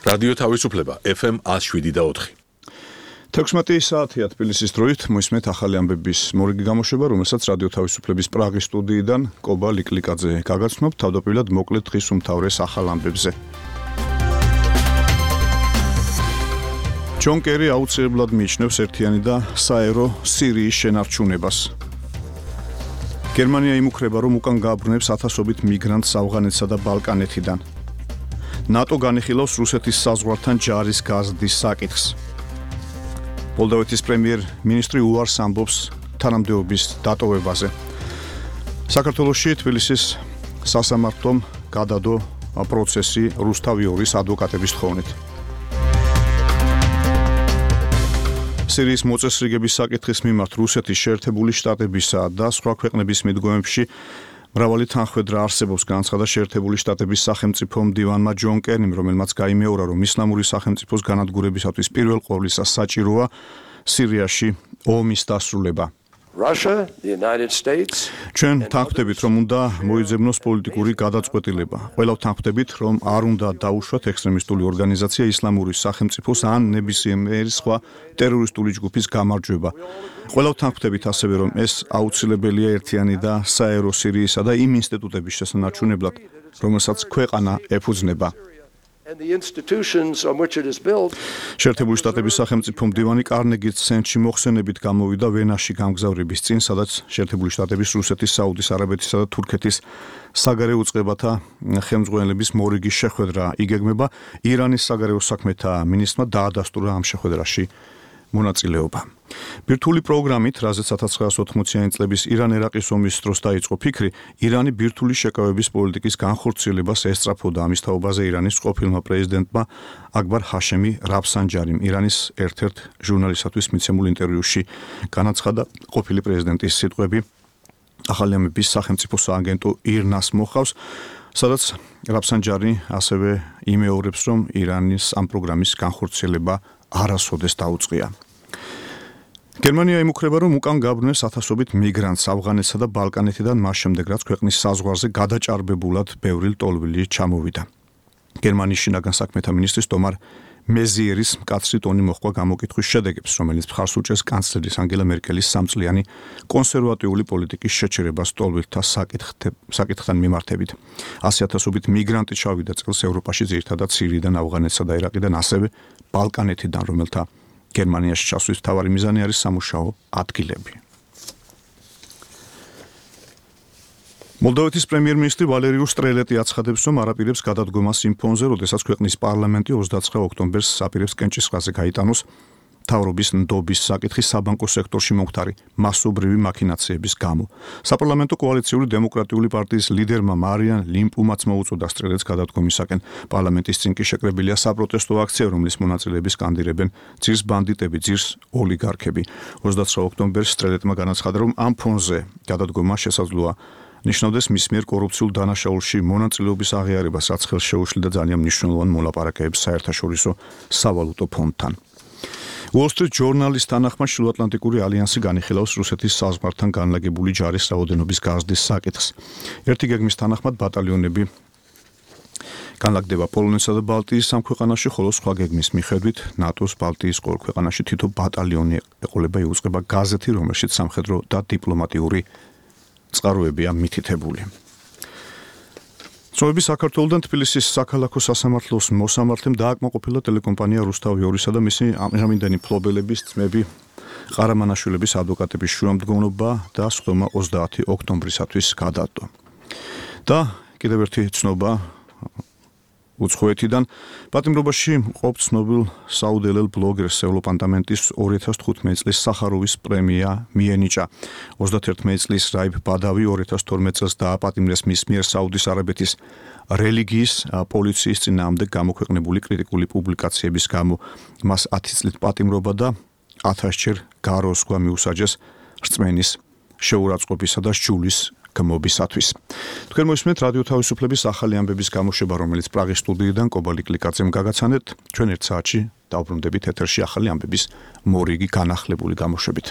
რადიო თავისუფლება FM 107.4. 16 საათია თბილისის დროით მოისმენთ ახალი ამბების მორიგი გამოშვება, რომელსაც რადიო თავისუფლების პრაღის სტუდიიდან კობა ლიკლიკაძე გაგაცნობ თავდაპირველად მოკლედ დღის უმთავრეს ახალ ამბებზე. ჯონ კერი აუცილებლად მიიჩნევს ერთიანი და საერო სირიის შენარჩუნებას. გერმანია იმუქრება, რომ უკან გააბრუნებს ათასობით მიგრანტს ავღანეთსა და ბალკანეთიდან. ნატო განიხილავს რუსეთის საზღვართან ჯარის გაზრდის საკითხს. მოლდოვეთის პრემიერ-მინისტრი უარს ამბობს თანამდებობის დატოვებაზე. საქართველოში თბილისის სასამართლომ გადადო პროცესი რუსთავი 2-ის ადვოკატების თხოვნით. სირიის მოწესრიგების საკითხის მიმართ რუსეთის შეერთებული შტატებისა და სხვა ქვეყნების მიდგომებში მრავალი თანხმედრა არსებობს, განაცხადა შეერთებული შტატების სახელმწიფო მდივანმა ჯონ კერიმ, რომელმაც გაიმეორა, რომ ისლამური სახელმწიფოს განადგურებისათვის პირველ ყოვლისა საჭიროა სირიაში ომის დასრულება. ჩვენ თანხმდებით, რომ უნდა მოიძებნოს პოლიტიკური გადაწყვეტილება. ყველა თანხმდებით, რომ არ უნდა დაუშვათ ექსტრემისტული ორგანიზაცია ისლამური სახელმწიფოს ან ნებისმიერი სხვა ტერორისტული ჯგუფის გამარჯვება. ყველა თანხმდებით ასევე, რომ ეს აუცილებელია ერთიანი და საერო სირიისა და იმ ინსტიტუტების შესანარჩუნებლად, რომელსაც ქვეყანა ეფუძნება. შეერთებული შტატების სახელმწიფო მდივანი კარნეგის ცენტრში მოხსენებით გამოვიდა ვენაში გამგზავრების წინ, სადაც შეერთებული შტატების, რუსეთის, საუდის არაბეთისა და თურქეთის საგარეო წყებათა ხელმძღვანელების მორიგი შეხვედრა იგეგმება. ირანის საგარეო საქმეთა მინისტრმა დაადასტურა ამ შეხვედრაში მონაწილეობა. ბირთვული პროგრამით, რაზეც 1980-იანი წლების ირან-ერაყის ომის დროს დაიწყო ფიქრი, ირანი ბირთვული შეკავების პოლიტიკის განხორციელებას ესწრაფოდა. ამის თაობაზე ირანის ყოფილმა პრეზიდენტმა აკბარ ჰაშემი რაფსანჯარიმ ირანის ერთ-ერთ ჟურნალისტისთვის მიცემულ ინტერვიუში განაცხადა ყოფილი პრეზიდენტის სიტყვები ახალი ამბების სახელმწიფო სააგენტო ირნას მოხავს, სადაც რაფსანჯარი ასევე იმეორებს, რომ ირანის ამ პროგრამის განხორციელება არასოდეს დაუწყია. გერმანია იმუქრება, რომ უკან გააბრუნებს ათასობით მიგრანტს ავღანეთსა და ბალკანეთიდან მას შემდეგ, რაც ქვეყნის საზღვარზე გადაჭარბებულად ბევრი ლტოლვილი ჩამოვიდა. გერმანიის შინაგან საქმეთა მინისტრის დომარ მეზიერის მკაცრი ტონი მოჰყვა გამოკითხვის შედეგებს, რომელიც მხარს უჭერს კანცლერის ანგელა მერკელის სამწლიანი კონსერვატიული პოლიტიკის შეჩერებას ლტოლვილთა საკითხთან მიმართებით. 100,000-ობით მიგრანტი ჩავიდა წელს ევროპაში, ძირითადად სირიიდან, ავღანეთსა და ერაყიდან, ასევე ბალკანეთიდან, რომელთა გერმანიაში ჩასვლის მთავარი მიზანი არის სამუშაო ადგილები. მოლდოვეთის პრემიერ-მინისტრი ვალერიუ სტრელეტი აცხადებს, რომ არაპირებს გადადგომას იმ ფონზე, როდესაც ქვეყნის პარლამენტი 29 ოქტომბერს აპირებს კენჭისყრაზე გაიტანოს მთავრობის ნდობის საკითხი საბანკო სექტორში მომხდარი მასობრივი მაქინაციების გამო. საპარლამენტო კოალიციური დემოკრატიული პარტიის ლიდერმა მარიან ლიმპუმაც მოუწოდა სტრელეტს გადადგომისაკენ. პარლამენტის წინ კი შეკრებილია საპროტესტო აქცია, რომლის მონაწილეები სკანდირებენ ძირს ბანდიტები, ძირს ოლიგარქები. 29 ოქტომბერს სტრელეტმა განაცხადა, რომ ამ ფონზე გადადგომა შესაძლოა ნიშნავდეს მის მიერ კორუფციულ დანაშაულში მონაწილეობის აღიარებას, რაც ხელს შეუშლიდა ძალიან მნიშვნელოვან მოლაპარაკებებს საერთაშორისო სავალუტო ფონდთან. Wall Street Journal-ის თანახმად შილოატლანტიკური ალიანსი განიხილავს რუსეთის საზღვართან განლაგებული ჯარის რაოდენობის გაზრდის საკითხს. ერთი გეგმის თანახმად ბატალიონები განლაგდება პოლონეთსა და ბალტიის სამ ქვეყანაში, ხოლო სხვა გეგმის მიხედვით ნატოს ბალტიის ყოველ ქვეყანაში თითო ბატალიონი ეყოლება, იუწყება გაზეთი, რომელშიც სამხედრო და დიპლომატიური წყაროებია მითითებული. წვევები საქართველოდან თბილისის საქალაქო სასამართლოს მოსამართლემ დააკმაყოფილა ტელეკომპანია რუსთავი 2-სა და მისი ამჟამინდელი მფლობელების ძმები ყარამანაშვილების ადვოკატების შუამდგომლობა და სხდომა 30 ოქტომბრისათვის გადადო. და კიდევ ერთი ცნობა უცხოეთიდან პატიმრობაში მყოფ ცნობილ საუდელელ ბლოგერს ევროპარლამენტის 2015 წლის სახაროვის პრემია მიენიჭა. 31 წლის რაიბ ბადავი 2012 წელს დააპატიმრეს მის მიერ საუდის არაბეთის რელიგიის პოლიციის წინააღმდეგ გამოქვეყნებული კრიტიკული პუბლიკაციების გამო. მას 10 წლით პატიმრობა და 1000-ჯერ გაროს ზღვა მიუსაჯეს რწმენის შეურაცხყოფისა და სჯულის გმობისათვის. თქვენ მოისმენთ რადიო თავისუფლების ახალი ამბების გამოშვება, რომელიც პრაღის სტუდიიდან კობა ლიკლიკაძემ გაგაცანეთ. ჩვენ ერთ საათში დავბრუნდებით ეთერში ახალი ამბების მორიგი განახლებული გამოშვებით.